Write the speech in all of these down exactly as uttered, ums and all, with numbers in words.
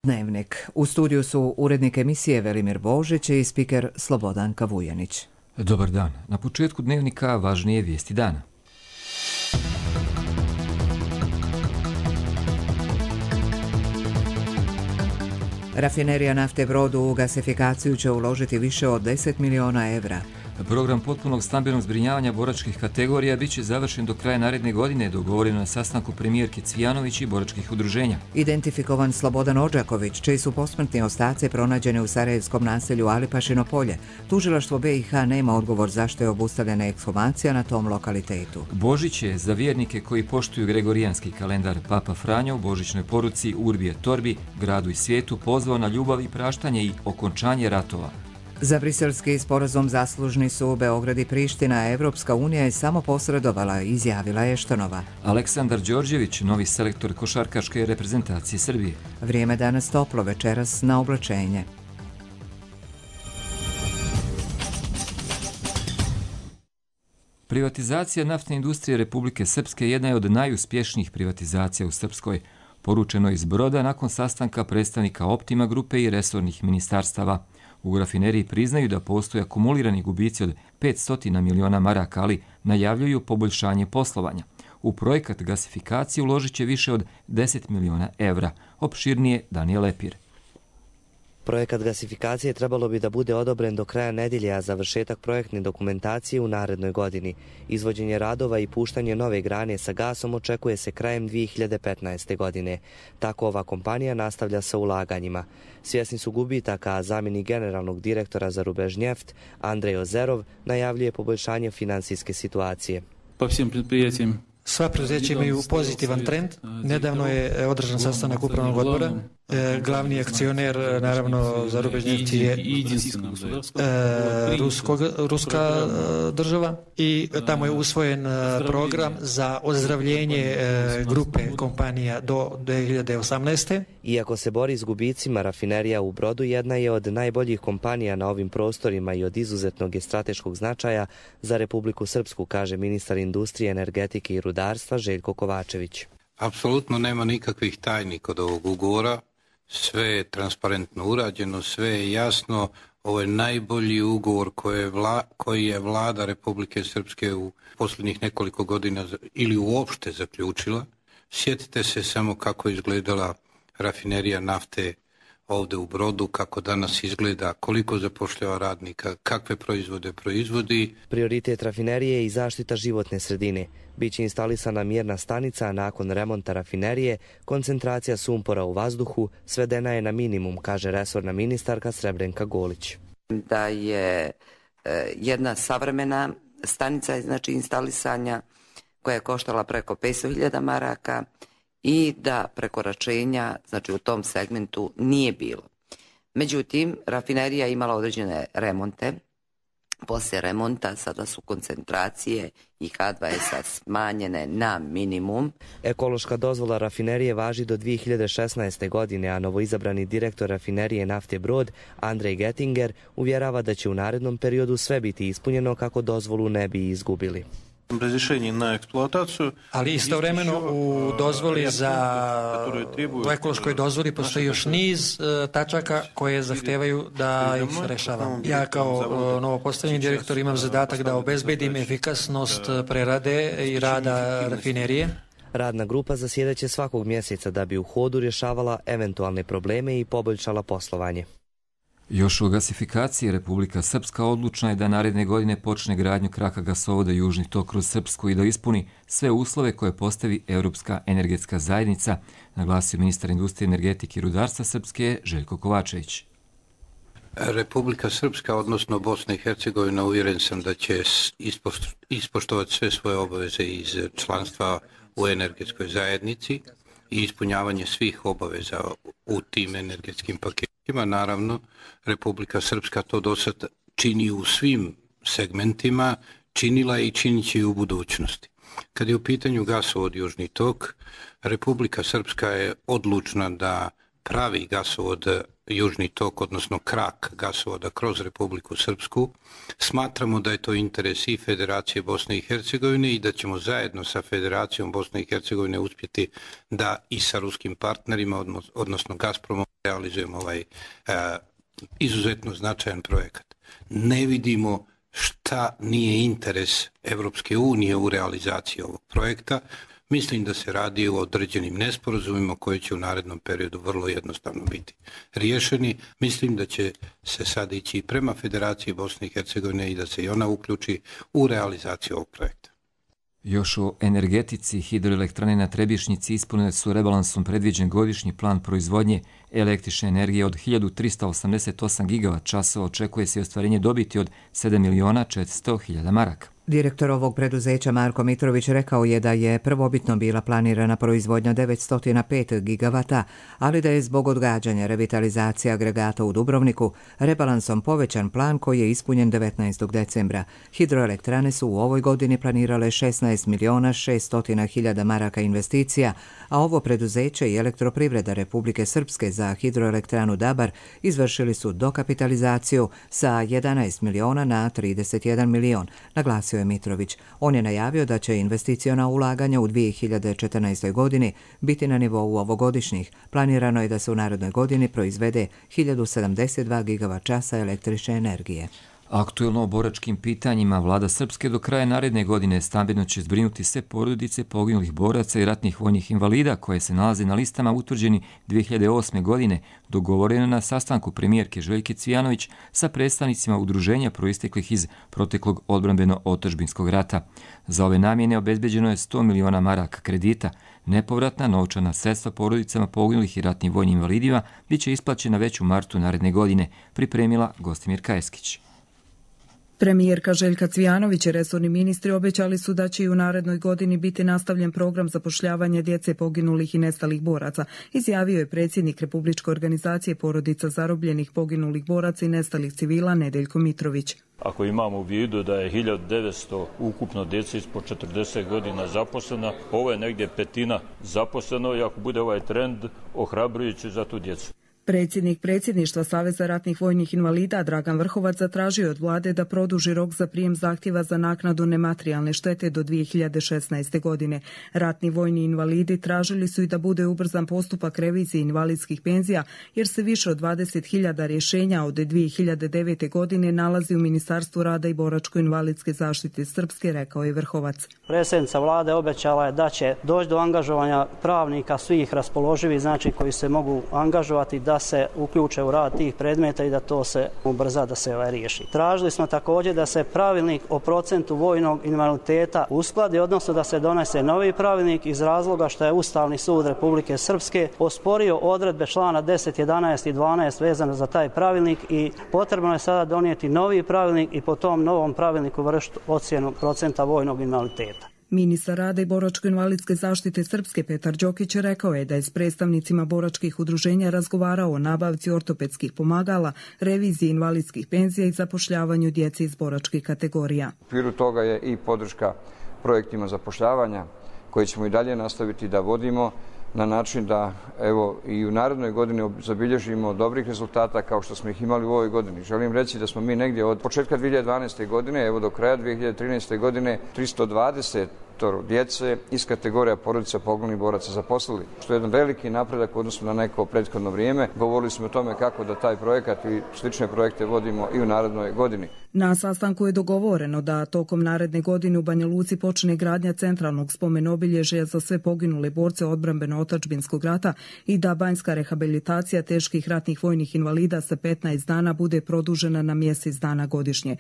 Dnevnik. U studiju su urednik emisije Velimir Božić i spiker Slobodanka Vujanić. Dobar dan. Na početku dnevnika važnije vijesti dana. Rafinerija nafte Brod u gasifikaciju će uložiti više od deset miliona evra. Program potpunog stambenog zbrinjavanja boračkih kategorija bit će završen do kraja naredne godine, dogovoreno na sastanku premijerke Cvijanović i boračkih udruženja. Identifikovan Slobodan Odžaković, čiji su posmrtni ostaci pronađeni u sarajevskom naselju Alipašino polje. Tužilaštvo B i H nema odgovor zašto je obustavljena ekshumacija na tom lokalitetu. Božić je za vjernike koji poštuju gregorijanski kalendar. Papa Franjo u božićnoj poruci Urbi et Orbi, gradu i svijetu, pozvao na ljubav i praštanje i okončanje ratova. Za briselski sporazum zaslužni su Beograd i Priština, a Evropska unija je samo posredovala, izjavila je Štonova. Aleksandar Đorđević, novi selektor košarkaške reprezentacije Srbije. Vrijeme danas toplo, večeras na oblačenje. Privatizacija naftne industrije Republike Srpske jedna je od najuspješnijih privatizacija u Srpskoj, poručeno iz Broda nakon sastanka predstavnika Optima grupe i resornih ministarstava. U rafineriji priznaju da postoje akumulirani gubici od petsto miliona maraka, ali najavljuju poboljšanje poslovanja. U projekat gasifikacije uložit će više od deset miliona evra. Opširnije Danijel Lepir. Projekat gasifikacije trebalo bi da bude odobren do kraja nedelje, a završetak projektne dokumentacije u narednoj godini. Izvođenje radova i puštanje nove grane sa gasom očekuje se krajem dvije hiljade petnaeste. godine. Tako ova kompanija nastavlja sa ulaganjima. Svjesni su gubitaka, a zamjenik generalnog direktora za Rubežnjeft Andrej Ozerov najavljuje poboljšanje finansijske situacije. Po svim predprijatijima. Sva preduzeća imaju pozitivan trend. Nedavno je održan sastanak upravnog odbora. E, glavni akcioner, naravno, za Rubežnjeft je e, ruskog, ruska država i tamo je usvojen program za ozdravljenje e, grupe kompanija do dvije hiljade osamnaeste. Iako se bori s gubicima, rafinerija u Brodu jedna je od najboljih kompanija na ovim prostorima i od izuzetnog je strateškog značaja za Republiku Srpsku, kaže ministar industrije, energetike i rudarstva Željko Kovačević. Apsolutno nema nikakvih tajni kod ovog ugovora. Sve je transparentno urađeno, sve je jasno. Ovo je najbolji ugovor koji je, vla, koji je vlada Republike Srpske u posljednjih nekoliko godina ili uopšte zaključila. Sjetite se samo kako je izgledala rafinerija nafte ovdje u Brodu, kako danas izgleda, koliko zapošljava radnika, kakve proizvode proizvodi. Prioritet rafinerije je i zaštita životne sredine. Biće instalisana mjerna stanica, a nakon remonta rafinerije koncentracija sumpora u vazduhu svedena je na minimum, kaže resorna ministarka Srebrenka Golić. Da je e, jedna savremena stanica, znači instalisanja, koja je koštala preko petsto hiljada maraka, i da prekoračenja, znači u tom segmentu, nije bilo. Međutim, rafinerija je imala određene remonte. Poslije remonta sada su koncentracije i H dva S smanjene na minimum. Ekološka dozvola rafinerije važi do dvije hiljade šesnaeste. godine, a novoizabrani direktor rafinerije nafte Brod, Andrej Gettinger, uvjerava da će u narednom periodu sve biti ispunjeno kako dozvolu ne bi izgubili. Na eksploataciju. Ali istovremeno u dozvoli za u ekološkoj dozvoli postoji još niz uh, tačaka koje zahtevaju da ih rešava. Ja kao uh, novopostavljeni direktor imam zadatak da obezbedim efikasnost prerade i rada rafinerije. Radna grupa zasjedaće svakog mjeseca da bi u hodu rješavala eventualne probleme i poboljšala poslovanje. Još o gasifikaciji Republika Srpska odlučna je da naredne godine počne gradnju kraka gasovoda Južni tok kroz Srpsku i da ispuni sve uslove koje postavi Europska energetska zajednica, naglasio ministar industrije, energetike i rudarstva Srpske Željko Kovačević. Republika Srpska, odnosno Bosna i Hercegovina, uvjeren sam da će ispoštovati sve svoje obaveze iz članstva u energetskoj zajednici i ispunjavanje svih obaveza u tim energetskim paketima. Naravno, Republika Srpska to do sad čini u svim segmentima, činila i činit će i u budućnosti. Kad je u pitanju gasovod Južni tok, Republika Srpska je odlučna da pravi gasovod Južni tok, odnosno krak gasovoda kroz Republiku Srpsku. Smatramo da je to interes i Federacije Bosne i Hercegovine i da ćemo zajedno sa Federacijom Bosne i Hercegovine uspjeti da i sa ruskim partnerima, odnosno Gazpromom, realizujemo ovaj uh, izuzetno značajan projekat. Ne vidimo šta nije interes Evropske unije u realizaciji ovog projekta. Mislim da se radi o određenim nesporazumima koji će u narednom periodu vrlo jednostavno biti riješeni. Mislim da će se sad ići prema Federaciji Bosne i Hercegovine i da se i ona uključi u realizaciju ovog projekta. Još o energetici, hidroelektrane na Trebišnjici ispunile su rebalansom predviđen godišnji plan proizvodnje električne energije od hiljadu trista osamdeset osam gigavat časova, očekuje se ostvarenje dobiti od sedam miliona četiristo hiljada maraka. Direktor ovog preduzeća Marko Mitrović rekao je da je prvobitno bila planirana proizvodnja devetsto pet gigavata, ali da je zbog odgađanja revitalizacije agregata u Dubrovniku rebalansom povećan plan koji je ispunjen devetnaestog decembra. Hidroelektrane su u ovoj godini planirale šesnaest miliona šesto hiljada maraka investicija, a ovo preduzeće i Elektroprivreda Republike Srpske za hidroelektranu Dabar izvršili su dokapitalizaciju sa jedanaest miliona na trideset jedan milion, naglasio je Mitrović. On je najavio da će investiciona ulaganja u dvije hiljade četrnaestoj godini biti na nivou ovogodišnjih. Planirano je da se u narednoj godini proizvede hiljadu sedamdeset dva gigavat časa električne energije. Aktuelno o boračkim pitanjima, vlada Srpske do kraja naredne godine stambeno će zbrinuti sve porodice poginulih boraca i ratnih vojnih invalida koje se nalaze na listama utvrđeni dvije hiljade osme godine, dogovoreno na sastanku premijerke Željke Cvijanović sa predstavnicima udruženja proisteklih iz proteklog odbrambeno-otadžbinskog rata. Za ove namjene obezbeđeno je sto miliona maraka kredita. Nepovratna novčana sredstva porodicama poginulih i ratnim vojnim invalidima bit će isplaćena već u martu naredne godine, pripremila Gostimirka Eskić. Premijerka Željka Cvijanović i resorni ministri obećali su da će i u narednoj godini biti nastavljen program zapošljavanja djece poginulih i nestalih boraca, izjavio je predsjednik Republičke organizacije porodica zarobljenih poginulih boraca i nestalih civila Nedeljko Mitrović. Ako imamo u vidu da je hiljadu devetsto ukupno djece ispod četrdeset godina zaposlena, ovo je negdje petina zaposleno i ako bude ovaj trend ohrabrujući za tu djecu. Predsjednik predsjedništva Saveza ratnih vojnih invalida Dragan Vrhovac zatražio od vlade da produži rok za prijem zahtjeva za naknadu nematerijalne štete do dvije hiljade šesnaeste. godine. Ratni vojni invalidi tražili su i da bude ubrzan postupak revizije invalidskih penzija jer se više od dvadeset hiljada rješenja od dvije hiljade devete. godine nalazi u Ministarstvu rada i boračko-invalidske zaštite Srpske, rekao je Vrhovac. Predsjednica vlade obećala je da će doći do angažovanja pravnika svih raspoloživih, znači koji se mogu angažovati da se uključe u rad tih predmeta i da to se ubrza, da se ovaj riješi. Tražili smo također da se pravilnik o procentu vojnog invaliditeta uskladi, odnosno da se donese novi pravilnik iz razloga što je Ustavni sud Republike Srpske osporio odredbe člana deset, jedanaest i dvanaest vezano za taj pravilnik i potrebno je sada donijeti novi pravilnik i po tom novom pravilniku vršiti ocjenu procenta vojnog invaliditeta. Ministar rada i boračko-invalidske zaštite Srpske Petar Đokić rekao je da je s predstavnicima boračkih udruženja razgovarao o nabavci ortopedskih pomagala, reviziji invalidskih penzija i zapošljavanju djece iz boračkih kategorija. U okviru toga je i podrška projektima zapošljavanja koje ćemo i dalje nastaviti da vodimo na način da evo i u narednoj godini zabilježimo dobrih rezultata kao što smo ih imali u ovoj godini. Želim reći da smo mi negdje od početka dvije hiljade dvanaeste. godine, evo do kraja dvije hiljade trinaeste. godine tristo dvadeset djece iz kategorija porodica poginulih boraca zaposlili, što je jedan veliki napredak u odnosu na neko prethodno vrijeme. Govorili smo o tome kako da taj projekat i slične projekte vodimo i u narednoj godini. Na sastanku je dogovoreno da tokom naredne godine u Banja Luci počne gradnja centralnog spomen-obilježja za sve poginule borce odbrambeno-otadžbinskog rata i da banjska rehabilitacija teških ratnih vojnih invalida sa petnaest dana bude produžena na mjesec dana godišnje.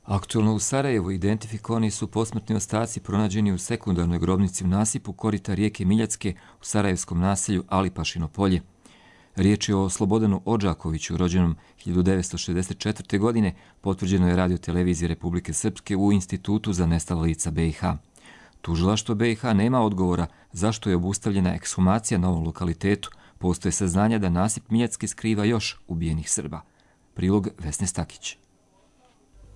Aktualno u Sarajevu identifikovani su posmrtni ostaci pronađeni u sekundarnoj grobnici u nasipu korita rijeke Miljacke u sarajevskom naselju Alipašino polje. Riječ je o Slobodanu Odžakoviću, rođenom hiljadu devetsto šezdeset četvrte. godine, potvrđeno je Radio-televizije Republike Srpske u Institutu za nestala lica B i H. Tužilaštvo B i H nema odgovora zašto je obustavljena ekshumacija na ovom lokalitetu. Postoje saznanja da nasip Miljacke skriva još ubijenih Srba. Prilog Vesne Stakić.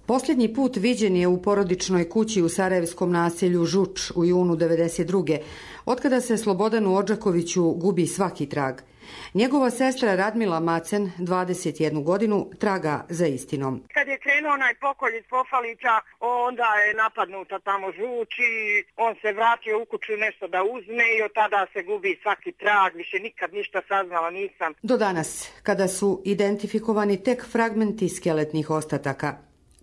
Posljednji put viđen je u porodičnoj kući u sarajevskom naselju Žuč u junu devedeset druge. Otkada se Slobodanu Odžakoviću gubi svaki trag. Njegova sestra Radmila Macen, dvadeset jednu godinu, traga za istinom. Kad je krenuo onaj pokolj iz Pofalića, onda je napadnuta tamo žuči, on se vratio u kuću nešto da uzme i od tada se gubi svaki trag, više nikad ništa saznala nisam. Do danas, kada su identifikovani tek fragmenti skeletnih ostataka,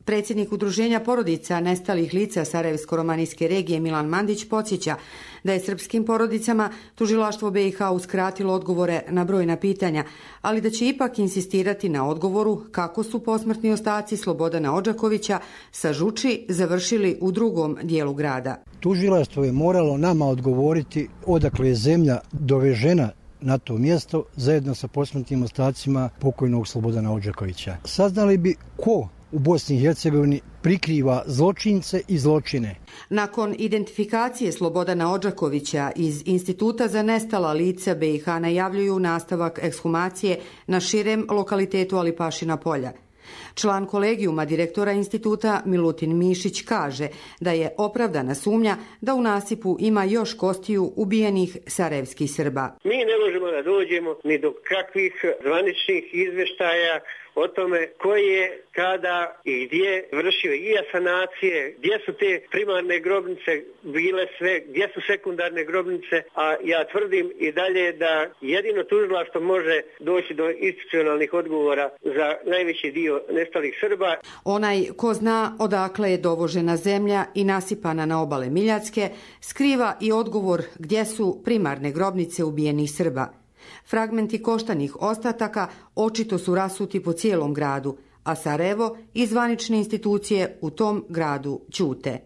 predsjednik Udruženja porodica nestalih lica Sarajevsko-romanijske regije Milan Mandić podsjeća da je srpskim porodicama tužilaštvo B i H uskratilo odgovore na brojna pitanja, ali da će ipak insistirati na odgovoru kako su posmrtni ostaci Slobodana Odžakovića sa Žuči završili u drugom dijelu grada. Tužilaštvo je moralo nama odgovoriti odakle je zemlja dovežena na to mjesto zajedno sa posmrtnim ostacima pokojnog Slobodana Odžakovića. Saznali bi ko u Bosni i Hercegovini prikriva zločince i zločine. Nakon identifikacije Slobodana Odžakovića iz Instituta za nestala lica B i H najavljuju nastavak ekshumacije na širem lokalitetu Alipašina polja. Član kolegijuma direktora instituta Milutin Mišić kaže da je opravdana sumnja da u nasipu ima još kostiju ubijenih sarajevskih Srba. Mi ne možemo da dođemo ni do kakvih zvaničnih izveštaja o tome ko je, kada i gdje vršio i asanacije, gdje su te primarne grobnice bile sve, gdje su sekundarne grobnice, a ja tvrdim i dalje da jedino tužilaštvo može doći do institucionalnih odgovora za najveći dio nestalih Srba. Onaj ko zna odakle je dovožena zemlja i nasipana na obale Miljacke, skriva i odgovor gdje su primarne grobnice ubijenih Srba. Fragmenti koštanih ostataka očito su rasuti po cijelom gradu, a Sarajevo i zvanične institucije u tom gradu ćute.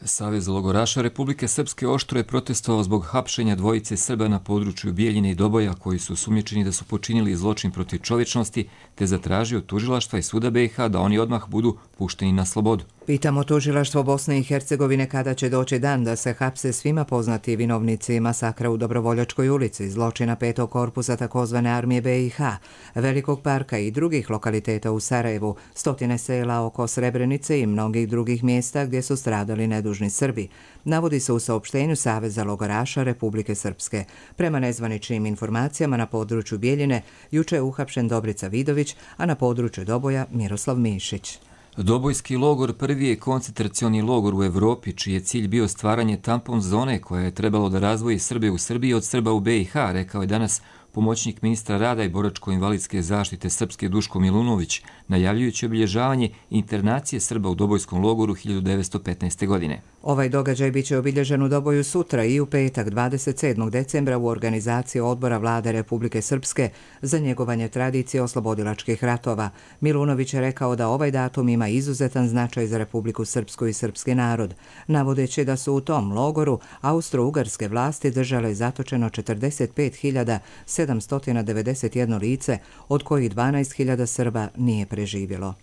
Savez logoraša Republike Srpske oštro je protestovao zbog hapšenja dvojice Srba na području Bijeljine i Doboja koji su osumnjičeni da su počinili zločin protiv čovječnosti, te zatražio tužilaštva i suda B i H da oni odmah budu pušteni na slobodu. Pitamo tužilaštvo Bosne i Hercegovine kada će doći dan da se hapse svima poznati vinovnici masakra u Dobrovoljačkoj ulici, zločina petog korpusa takozvane armije B i H, Velikog parka i drugih lokaliteta u Sarajevu, stotine sela oko Srebrenice i mnogih drugih mjesta gdje su stradali nedužni Srbi, navodi se u saopštenju Saveza logoraša Republike Srpske. Prema nezvaničnim informacijama na području Bijeljine juče je uhapšen Dobrica Vidović, a na području Doboja Miroslav Mišić. Dobojski logor prvi je koncentracioni logor u Evropi, čiji je cilj bio stvaranje tampon zone koja je trebalo da razvoji Srbe u Srbiji od Srba u B i H, rekao je danas pomoćnik ministra rada i boračko-invalidske zaštite Srpske Duško Milunović, najavljujući obilježavanje internacije Srba u Dobojskom logoru hiljadu devetsto petnaeste. godine. Ovaj događaj biće obilježen u Doboju sutra i u petak dvadeset sedmog decembra u organizaciji Odbora Vlade Republike Srpske za njegovanje tradicije oslobodilačkih ratova. Milunović je rekao da ovaj datum ima izuzetan značaj za Republiku Srpsku i srpski narod, navodeći da su u tom logoru austro-ugarske vlasti držale zatočeno četrdeset pet hiljada sedamsto devedeset jedno lice, od kojih dvanaest hiljada Srba nije preživjelo.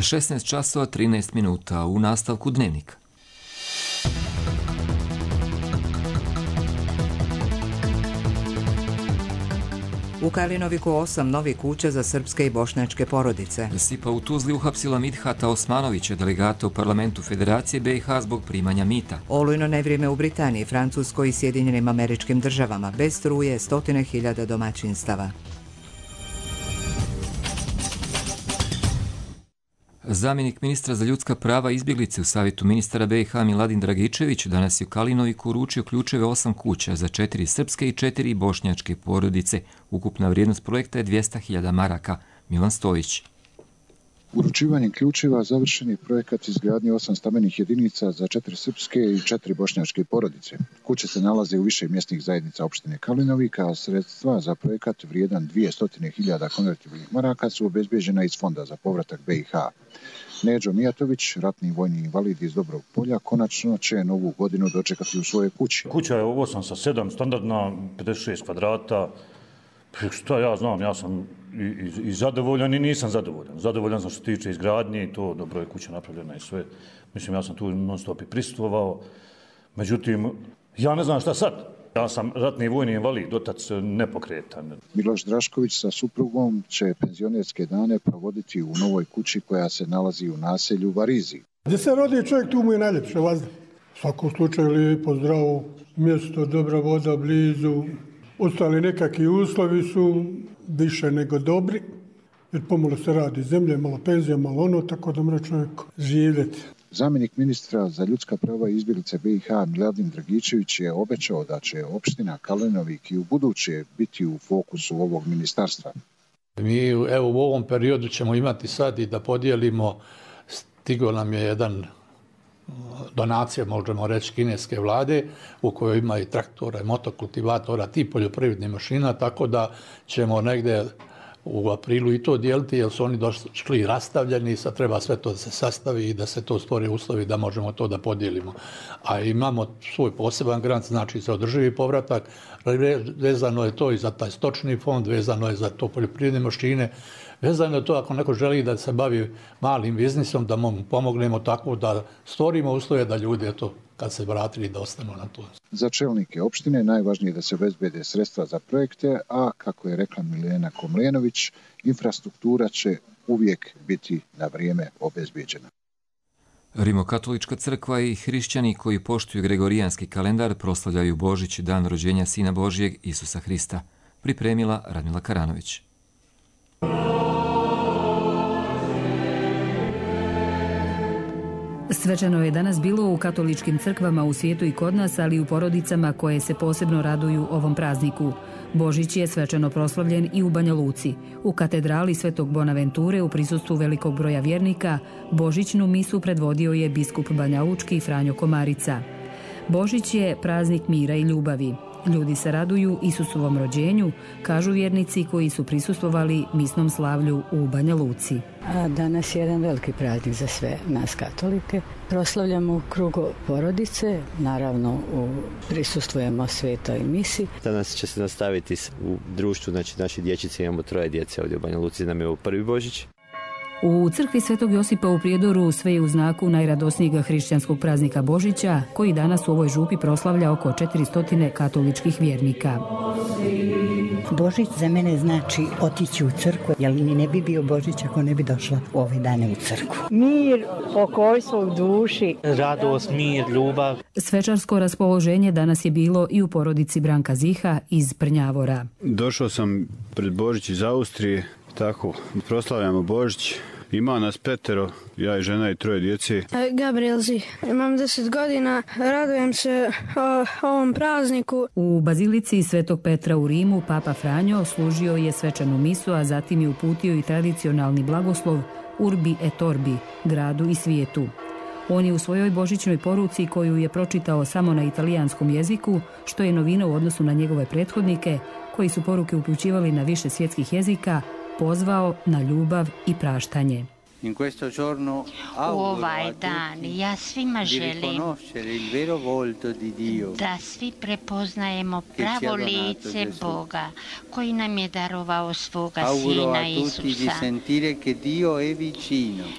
šesnaest časova trinaest minuta u nastavku Dnevnika. U Kalinoviku osam novih kuća za srpske i bošnjačke porodice. Sipa u Tuzli uhapsila Midhata Osmanovića, delegata u parlamentu Federacije B i H zbog primanja mita. Olujno nevrijeme u Britaniji, Francuskoj i Sjedinjenim Američkim Državama, bez struje stotine hiljada domaćinstava. Zamjenik ministra za ljudska prava i izbjeglice u Savjetu ministara B i H Miladin Dragičević danas je u Kalinoviku uručio ključeve osam kuća za četiri srpske i četiri bošnjačke porodice. Ukupna vrijednost projekta je dvjesto hiljada maraka. Milan Stojić. Uručivanjem ključeva završen je projekat izgradnje osam stambenih jedinica za četiri srpske i četiri bošnjačke porodice. Kuće se nalaze u više mjesnih zajednica opštine Kalinovika, a sredstva za projekat vrijedan dvjesto hiljada konvertibilnih maraka su obezbeđena iz Fonda za povratak B i H. Neđo Mijatović, ratni vojni invalid iz Dobrog Polja, konačno će novu godinu dočekati u svojoj kući. Kuća je osam sa sedam, standardna, pedeset šest kvadrata. Šta ja znam, ja sam i, i, i zadovoljan i nisam zadovoljan. Zadovoljan sam što se tiče izgradnje i to, dobro je kuća napravljena i sve. Mislim, ja sam tu non stop i prisustvovao. Međutim, ja ne znam šta sad. Ja sam ratni vojni invalid, otac nepokretan. Miloš Drašković sa suprugom će penzionerske dane provoditi u novoj kući koja se nalazi u naselju Varizi. Gdje se rodi čovjek, tu mu je najljepše vazda. U svakom slučaju lijepo, zdravo, mjesto, dobra voda, blizu. Ostali nekakvi uslovi su više nego dobri, jer pomalo se radi zemlje, malo penzija, malo ono, tako da mora čovjek živjeti. Zamjenik ministra za ljudska prava i izbjeglice B i H Miladin Dragičević je obećao da će opština Kalenovik i u buduće biti u fokusu ovog ministarstva. Mi evo u ovom periodu ćemo imati sad i da podijelimo, stigao nam je jedan donacija, možemo reći, kineske vlade u kojoj ima i traktora, i motokultivatora, ti poljoprivrednih mašina, tako da ćemo negdje u aprilu i to dijeliti, jer su oni došli rastavljeni, sad treba sve to da se sastavi i da se to stvori uslovi da možemo to da podijelimo. A imamo svoj poseban grant, znači za održivi povratak, vezano je to i za taj stočni fond, vezano je za to poljoprivredne mašine, vezano je to ako neko želi da se bavi malim biznisom, da mu pomognemo tako da stvorimo uslove da ljudi eto, kad se vratili da ostanu na to. Za čelnike opštine najvažnije je da se obezbede sredstva za projekte, a kako je rekla Milena Komljenović, infrastruktura će uvijek biti na vrijeme obezbeđena. Rimokatolička crkva i hrišćani koji poštuju gregorijanski kalendar proslavljaju Božić, dan rođenja Sina Božijeg Isusa Hrista. Pripremila Radmila Karanović. Svečano je danas bilo u katoličkim crkvama u svijetu i kod nas, ali i u porodicama koje se posebno raduju ovom prazniku. Božić je svečano proslavljen i u Banja Luci. U katedrali Svetog Bonaventure u prisustvu velikog broja vjernika Božićnu misu predvodio je biskup banjalučki Franjo Komarica. Božić je praznik mira i ljubavi. Ljudi se raduju Isusovom rođenju, kažu vjernici koji su prisustvovali misnom slavlju u Banja Luci. A danas je jedan veliki praznik za sve nas katolike. Proslavljamo u krugu porodice, naravno u, prisustvujemo svetoj misi. Danas će se nastaviti u društvu, znači naši dječice, imamo troje djece ovdje u Banja Luci, nam je ovo prvi Božić. U crkvi Svetog Josipa u Prijedoru sve je u znaku najradosnijeg hrišćanskog praznika Božića, koji danas u ovoj župi proslavlja oko četiristo katoličkih vjernika. Božić za mene znači otići u crkvu, jer mi ne bi bio Božić ako ne bi došla u ove dane u crkvu. Mir, pokojstvo u duši. Radost, mir, ljubav. Svečarsko raspoloženje danas je bilo i u porodici Branka Ziha iz Prnjavora. Došao sam pred Božić iz Austrije, tako proslavljamo Božić. Ima nas petero, ja i žena i troje djece. Gabriel Zih, imam deset godina, radujem se o, ovom prazniku. U bazilici Svetog Petra u Rimu Papa Franjo služio je svečanu misu, a zatim je uputio i tradicionalni blagoslov Urbi et Orbi, gradu i svijetu. On je u svojoj božićnoj poruci, koju je pročitao samo na italijanskom jeziku, što je novina u odnosu na njegove prethodnike, koji su poruke upućivali na više svjetskih jezika, pozvao na ljubav i praštanje. U ovaj dan ja svima želim da svi prepoznajemo pravo lice Boga koji nam je darovao svoga Sina Isusa.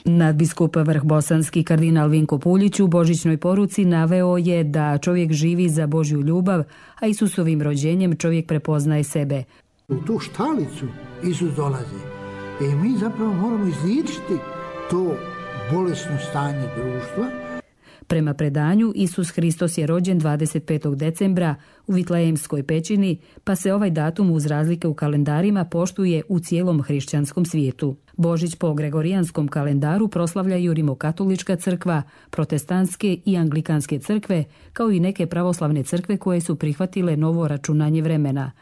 Nadbiskup vrhbosanski kardinal Vinko Puljić u božićnoj poruci naveo je da čovjek živi za Božju ljubav, a Isusovim rođenjem čovjek prepoznaje sebe. U tu štalicu Isus dolazi i mi zapravo moramo izliječiti to bolesno stanje društva. Prema predanju, Isus Hristos je rođen dvadeset petog decembra u Vitlejemskoj pećini, pa se ovaj datum uz razlike u kalendarima poštuje u cijelom hrišćanskom svijetu. Božić po gregorijanskom kalendaru proslavljaju Rimokatolička crkva, protestantske i anglikanske crkve, kao i neke pravoslavne crkve koje su prihvatile novo računanje vremena.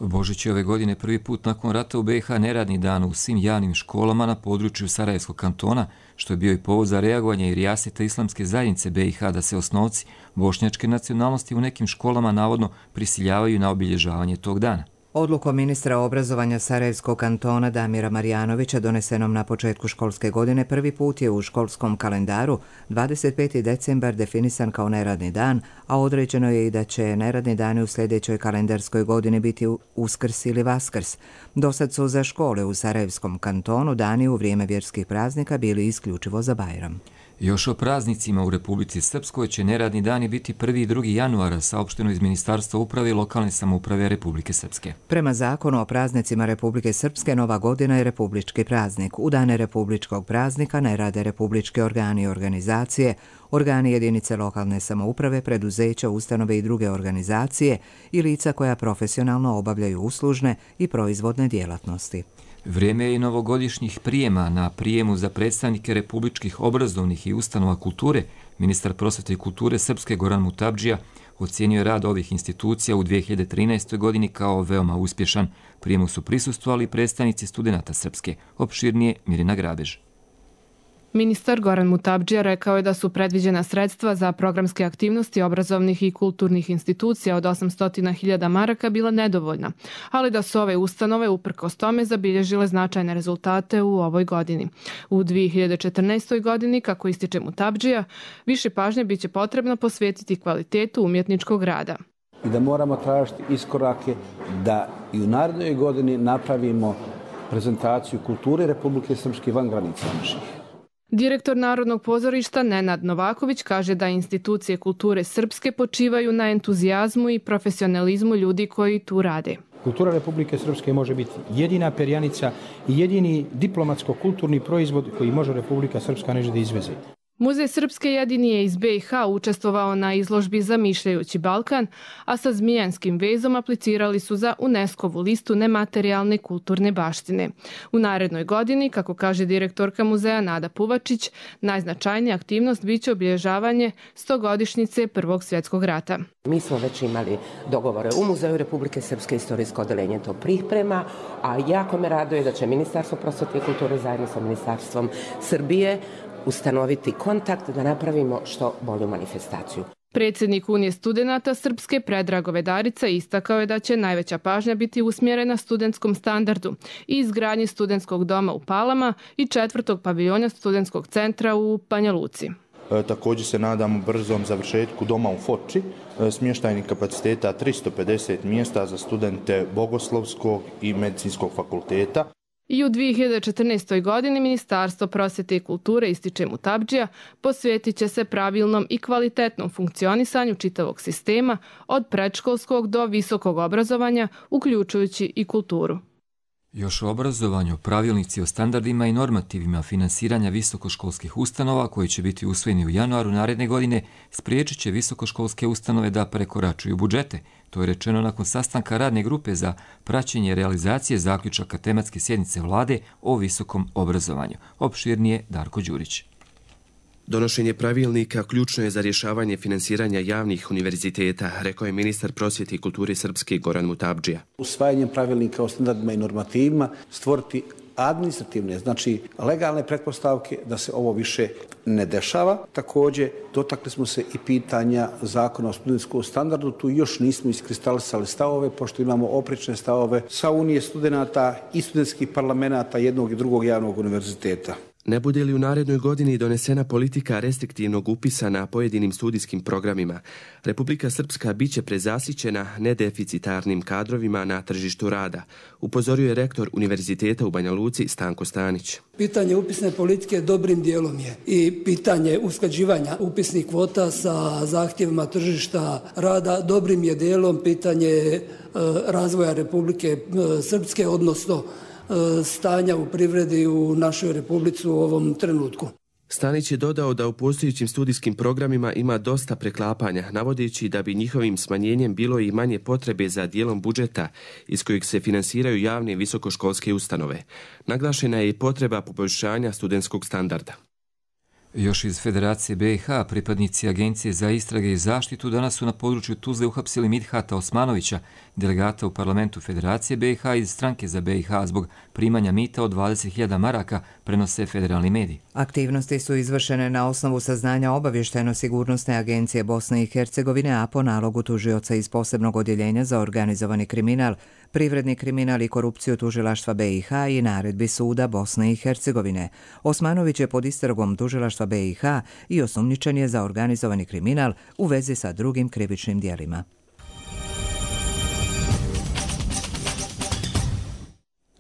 Božić je ove godine prvi put nakon rata u B i H neradni dan u svim javnim školama na području Sarajevskog kantona, što je bio i povod za reagovanje i rijasita islamske zajednice B i H da se osnovci bošnjačke nacionalnosti u nekim školama navodno prisiljavaju na obilježavanje tog dana. Odlukom ministra obrazovanja Sarajevskog kantona Damira Marjanovića donesenom na početku školske godine prvi put je u školskom kalendaru dvadeset peti decembar definisan kao neradni dan, a određeno je i da će neradni dani u sljedećoj kalendarskoj godini biti Uskrs ili Vaskrs. Dosad su za škole u Sarajevskom kantonu dani u vrijeme vjerskih praznika bili isključivo za Bajram. Još o praznicima u Republici Srpskoj će neradni dani biti prvi i drugi januara, saopšteno iz Ministarstva uprave i lokalne samouprave Republike Srpske. Prema zakonu o praznicima Republike Srpske, Nova godina je republički praznik. U dane republičkog praznika ne rade republički organi i organizacije, organi jedinice lokalne samouprave, preduzeća, ustanove i druge organizacije i lica koja profesionalno obavljaju uslužne i proizvodne djelatnosti. Vrijeme je i novogodišnjih prijema. Na prijemu za predstavnike republičkih obrazovnih i ustanova kulture, ministar prosvete i kulture Srpske Goran Mutabdžija ocijenio je rad ovih institucija u dvije hiljade trinaestoj. godini kao veoma uspješan. Prijemu su prisustvovali predstavnici studenata Srpske. Opširnije Mirina Grabež. Ministar Goran Mutabdžija rekao je da su predviđena sredstva za programske aktivnosti obrazovnih i kulturnih institucija od osamsto hiljada maraka bila nedovoljna, ali da su ove ustanove uprkos tome zabilježile značajne rezultate u ovoj godini. U dvije hiljade četrnaestoj. godini, kako ističe Mutabdžija, više pažnje biće potrebno posvetiti kvalitetu umjetničkog rada. I da moramo tražiti iskorake da i u narednoj godini napravimo prezentaciju kulture Republike Srpske van granica naših. Direktor Narodnog pozorišta Nenad Novaković kaže da institucije kulture Srpske počivaju na entuzijazmu i profesionalizmu ljudi koji tu rade. Kultura Republike Srpske može biti jedina perjanica i jedini diplomatsko-kulturni proizvod koji može Republika Srpska nešto da izveze. Muzej Srpske jedini je iz be i ha učestvovao na izložbi Zamišljajući Balkan, a sa zmijanskim vezom aplicirali su za UNESCO-vu listu nematerijalne kulturne baštine. U narednoj godini, kako kaže direktorka muzeja Nada Puvačić, najznačajnija aktivnost biće obilježavanje stogodišnjice Prvog svjetskog rata. Mi smo već imali dogovore u Muzeju Republike Srpske, istorijsko odeljenje to priprema, a jako me raduje da će Ministarstvo prosvete i kulture zajedno sa Ministarstvom Srbije ustanoviti kontakt da napravimo što bolju manifestaciju. Predsjednik Unije studenata Srpske Predrag Vedarica istakao je da će najveća pažnja biti usmjerena studentskom standardu i izgradnji studentskog doma u Palama i četvrtog paviljona studentskog centra u Banja Luci. E, također se nadamo brzom završetku doma u Foči, e, smještajnih kapaciteta tristo pedeset mjesta za studente Bogoslovskog i Medicinskog fakulteta. I u dvije hiljade četrnaestoj. godini Ministarstvo prosvete i kulture, ističe Mutabdžija, posvetit će se pravilnom i kvalitetnom funkcionisanju čitavog sistema od predškolskog do visokog obrazovanja, uključujući i kulturu. Još o obrazovanju, pravilnici o standardima i normativima finansiranja visokoškolskih ustanova koji će biti usvojeni u januaru naredne godine spriječit će visokoškolske ustanove da prekoračuju budžete. To je rečeno nakon sastanka radne grupe za praćenje realizacije zaključaka tematske sjednice vlade o visokom obrazovanju. Opširnije Darko Đurić. Donošenje pravilnika ključno je za rješavanje finansiranja javnih univerziteta, rekao je ministar prosvjete i kulture Srpske Goran Mutabdžija. Usvajanjem pravilnika o standardima i normativima stvoriti administrativne, znači legalne pretpostavke da se ovo više ne dešava. Također, dotakli smo se i pitanja zakona o studentskom standardu. Tu još nismo iskristalisali stavove, pošto imamo oprečne stavove sa Unije studenata i studentskih parlamenta jednog i drugog javnog univerziteta. Ne bude li u narednoj godini donesena politika restriktivnog upisa na pojedinim studijskim programima, Republika Srpska biće prezasićena nedeficitarnim kadrovima na tržištu rada, upozorio je rektor Univerziteta u Banja Luci Stanko Stanić. Pitanje upisne politike dobrim dijelom je i pitanje usklađivanja upisnih kvota sa zahtjevima tržišta rada dobrim je dijelom pitanje e, razvoja Republike Srpske, odnosno stanja u privredi u našoj Republici u ovom trenutku. Stanić je dodao da u postojećim studijskim programima ima dosta preklapanja, navodeći da bi njihovim smanjenjem bilo i manje potrebe za dijelom budžeta iz kojeg se finansiraju javne visokoškolske ustanove. Naglašena je i potreba poboljšanja studentskog standarda. Još iz Federacije be i ha, pripadnici Agencije za istrage i zaštitu danas su na području Tuzle uhapsili Midhata Osmanovića, delegata u parlamentu Federacije be i ha iz stranke za be i ha zbog primanja mita od dvadeset hiljada maraka, prenose federalni mediji. Aktivnosti su izvršene na osnovu saznanja Obavještajno-sigurnosne agencije Bosne i Hercegovine, a po nalogu tužioca iz posebnog odjeljenja za organizovani kriminal, privredni kriminal i korupciju tužilaštva be i ha i naredbi suda Bosne i Hercegovine. Osmanović je pod istragom tužilaštva be i ha i osumnjičen je za organizovani kriminal u vezi sa drugim krivičnim djelima.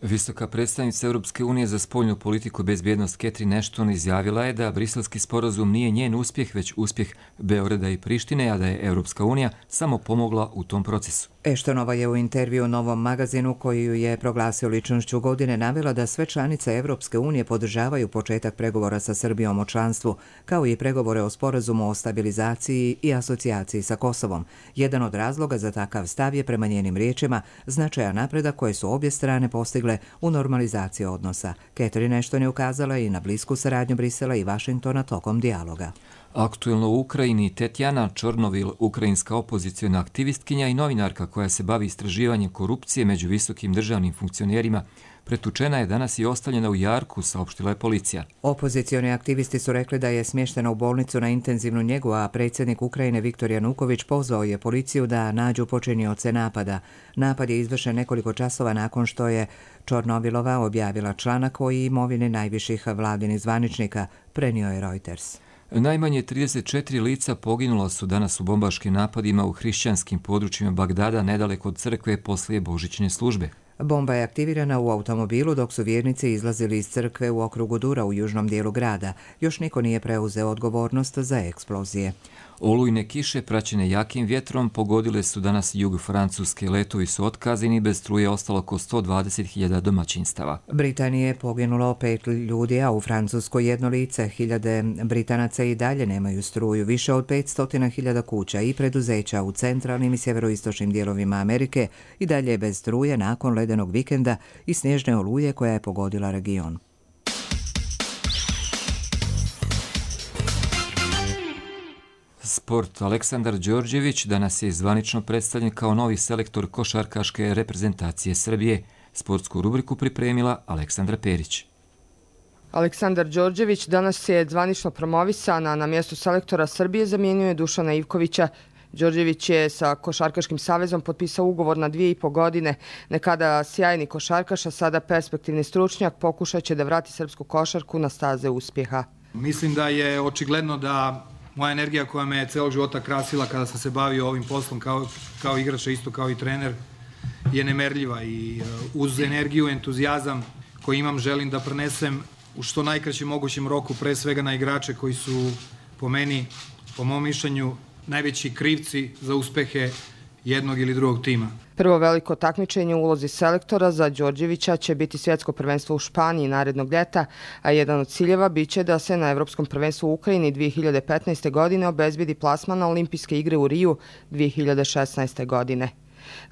Visoka predstavnica Europske unije za spoljnu politiku i bezbjednost Catherine Ashton izjavila je da briselski sporazum nije njen uspjeh, već uspjeh Beograda i Prištine, a da je Europska unija samo pomogla u tom procesu. Ashtonova je u intervju u Novom magazinu, koji ju je proglasio ličnošću godine, navela da sve članice Europske unije podržavaju početak pregovora sa Srbijom o članstvu, kao i pregovore o sporazumu o stabilizaciji i asocijaciji sa Kosovom. Jedan od razloga za takav stav je, prema njenim riječima, značajan napredak koje su obje strane postigle u normalizaciji odnosa. Catherine Ashton je ukazala i na blisku saradnju Brisela i Vašingtona tokom dijaloga. Aktuelno u Ukrajini Tetjana Čornovil, ukrajinska opozicijona aktivistkinja i novinarka koja se bavi istraživanjem korupcije među visokim državnim funkcionerima, pretučena je danas i ostavljena u jarku, saopštila je policija. Opozicioni aktivisti su rekli da je smještena u bolnicu na intenzivnu njegu, a predsjednik Ukrajine Viktor Januković pozvao je policiju da nađu počinioce napada. Napad je izvršen nekoliko časova nakon što je Čornovilova objavila članak o imovini najviših vladinih zvaničnika, prenio je Reuters. Najmanje trideset četiri lica poginula su danas u bombaškim napadima u hrišćanskim područjima Bagdada, nedaleko od crkve, poslije božićne službe. Bomba je aktivirana u automobilu dok su vjernici izlazili iz crkve u okrugu Dura u južnom dijelu grada. Još niko nije preuzeo odgovornost za eksplozije. Olujne kiše praćene jakim vjetrom pogodile su danas jug Francuske. Letovi su otkazani, bez struje ostalo oko sto dvadeset hiljada domaćinstava. Britanije je poginulo pet ljudi, a u Francuskoj jedno lice. Hiljade Britanaca i dalje nemaju struju. Više od petsto hiljada kuća i preduzeća u centralnim i sjeveroistočnim dijelovima Amerike i dalje je bez struje nakon ledenog vikenda i snježne oluje koja je pogodila region. Sport. Aleksandar Đorđević danas je zvanično predstavljen kao novi selektor košarkaške reprezentacije Srbije. Sportsku rubriku pripremila Aleksandra Perić. Aleksandar Đorđević danas je zvanično promovisan, a na mjestu selektora Srbije zamijenio je Dušana Ivkovića. Đorđević je sa Košarkaškim savezom potpisao ugovor na dvije i po godine. Nekada sjajni košarkaš, a sada perspektivni stručnjak, pokušat će da vrati srpsku košarku na staze uspjeha. Mislim da je očigledno da moja energija koja me je celog života krasila kada sam se bavio ovim poslom kao, kao igrač, isto kao i trener, je nemerljiva i uz energiju, entuzijazam koji imam želim da prenesem u što najkraćem mogućem roku, pre svega na igrače koji su po meni, po mom mišljenju, najveći krivci za uspehe jednog ili drugog tima. Prvo veliko takmičenje u ulozi selektora za Đorđevića će biti svjetsko prvenstvo u Španiji narednog ljeta, a jedan od ciljeva biće da se na Evropskom prvenstvu u Ukrajini dvije hiljade petnaeste. godine obezbedi plasman na Olimpijske igre u Riju dvije hiljade šesnaeste. godine.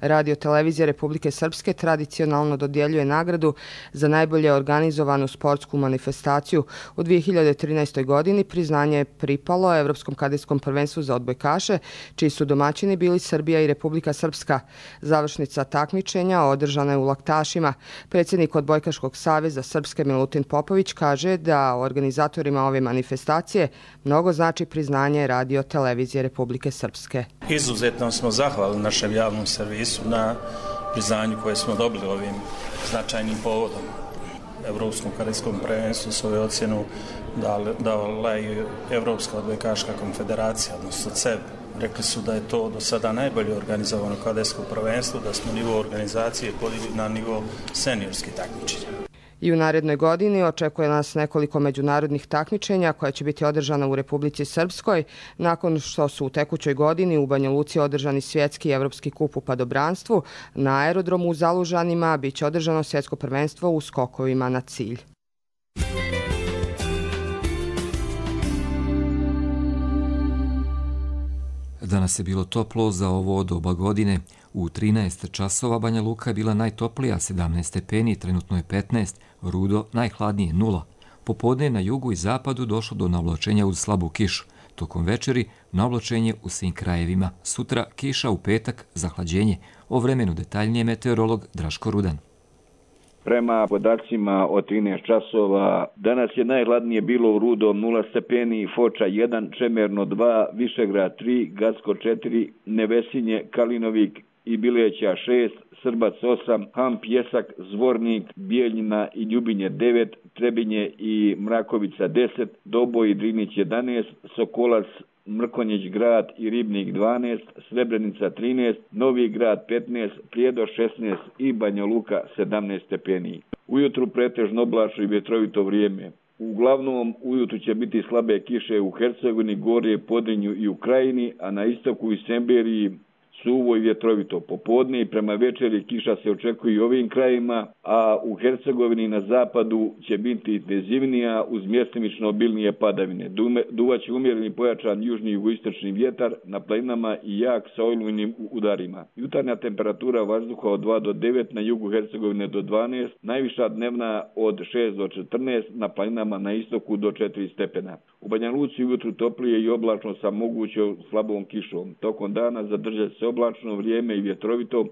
Radio televizija Republike Srpske tradicionalno dodjeljuje nagradu za najbolje organizovanu sportsku manifestaciju. U dvije hiljade trinaestoj. godini priznanje je pripalo Evropskom kadetskom prvenstvu za odbojkaše, čiji su domaćini bili Srbija i Republika Srpska. Završnica takmičenja održana je u Laktašima. Predsjednik Odbojkaškog saveza Srpske Milutin Popović kaže da organizatorima ove manifestacije mnogo znači priznanje Radio televizije Republike Srpske. Izuzetno smo zahvalni našem javnom servisu na priznanju koje smo dobili ovim značajnim povodom. Evropskom kadetskom prvenstvu svoju ocjenu dala i Evropska odbojkaška konfederacija, odnosno C E B. Rekli su da je to do sada najbolje organizovano kadetsko prvenstvo, da smo nivo organizacije podigli na nivo seniorskih takmičenja. I u narednoj godini očekuje nas nekoliko međunarodnih takmičenja koja će biti održana u Republici Srpskoj, nakon što su u tekućoj godini u Banja Luci održani svjetski i evropski kup u padobranstvu. Na aerodromu u Zalužanima biće održano svjetsko prvenstvo u skokovima na cilj. Danas je bilo toplo za ovo doba godine. U trinaest časova Banja Luka je bila najtoplija, sedamnaest stepeni, trenutno je petnaest, Rudo najhladnije nula. Popodne na jugu i zapadu došlo do navlačenja uz slabu kišu. Tokom večeri navlačenje u svim krajevima. Sutra kiša, u petak zahlađenje. O vremenu detaljnije meteorolog Draško Rudan. Prema podacima od trinaest časova, danas je najhladnije bilo u Rudo nula stepeni, Foča jedan, Čemerno dva, Višegrad tri, Gacko četiri, Nevesinje, Kalinovik i Bileća šest, Srbac osam, Ham, Pjesak, Zvornik, Bijeljina i Ljubinje devet, Trebinje i Mrakovica deset, Doboj i Drinić jedanaest, Sokolac Mrkonjić grad i Ribnik dvanaest, Srebrenica trinaest, Novi grad petnaest, Prijedor šesnaest i Banja Luka sedamnaest stepeni. Ujutru pretežno oblačno i vjetrovito vrijeme. Uglavnom, ujutru će biti slabe kiše u Hercegovini, Gorje, Podrinju i Ukrajini, a na istoku i Semberiji suvo i vjetrovito. Popodne i prema večeri kiša se očekuje i ovim krajima, a u Hercegovini na zapadu će biti intenzivnija uz mjestimično obilnije padavine. Duvaće umjereni pojačan južni i jugoistočni vjetar na planinama i jak sa olujnim udarima. Jutarnja temperatura vazduha od dva do devet, na jugu Hercegovine do dvanaest, najviša dnevna od šest do četrnaest, na planinama na istoku do četiri stepena. U Banja Luci ujutru toplije i oblačno sa mogućom slabom kišom. Tokom dana zadržat se oblačno vrijeme i vjetrovito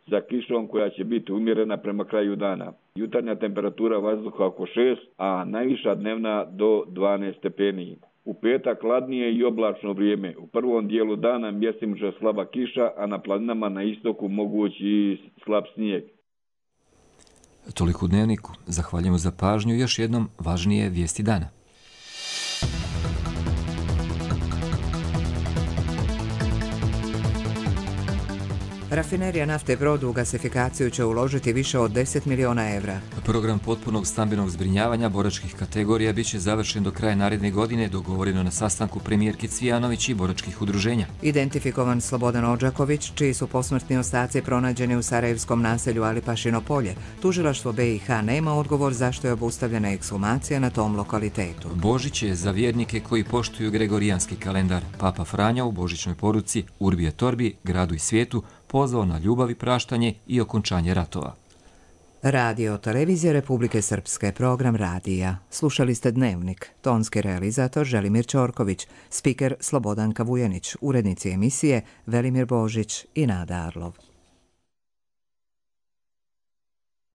za kišom koja će biti umjerena prema kraju dana. Jutarnja temperatura vazduha oko šest, a najviša dnevna do dvanaest stepeni. U petak hladnije i oblačno vrijeme. U prvom dijelu dana mjestimično slaba kiša, a na planinama na istoku mogući i slab snijeg. Toliko u Dnevniku. Zahvaljujemo za pažnju. Još jednom važnije vijesti dana. Rafinerija nafte Brod u gasifikaciju će uložiti više od deset miliona evra. Program potpunog stambenog zbrinjavanja boračkih kategorija biće završen do kraja naredne godine, dogovoreno na sastanku premijerke Cvijanović i boračkih udruženja. Identifikovan Slobodan Odžaković, čiji su posmrtni ostaci pronađeni u sarajevskom naselju Alipašino polje. Tužilaštvo B i H nema odgovor zašto je obustavljena ekshumacija na tom lokalitetu. Božić je za vjernike koji poštuju gregorijanski kalendar. Papa Franja u božićnoj poruci Urbi et Orbi, gradu i svijetu, pozvao na ljubav i praštanje i okončanje ratova. Radio Televizija Republike Srpske, program radija. Slušali ste Dnevnik. Tonski realizator Želimir Ćorković, spiker Slobodanka Vujanić, urednici emisije Velimir Božić i Nada Arlov.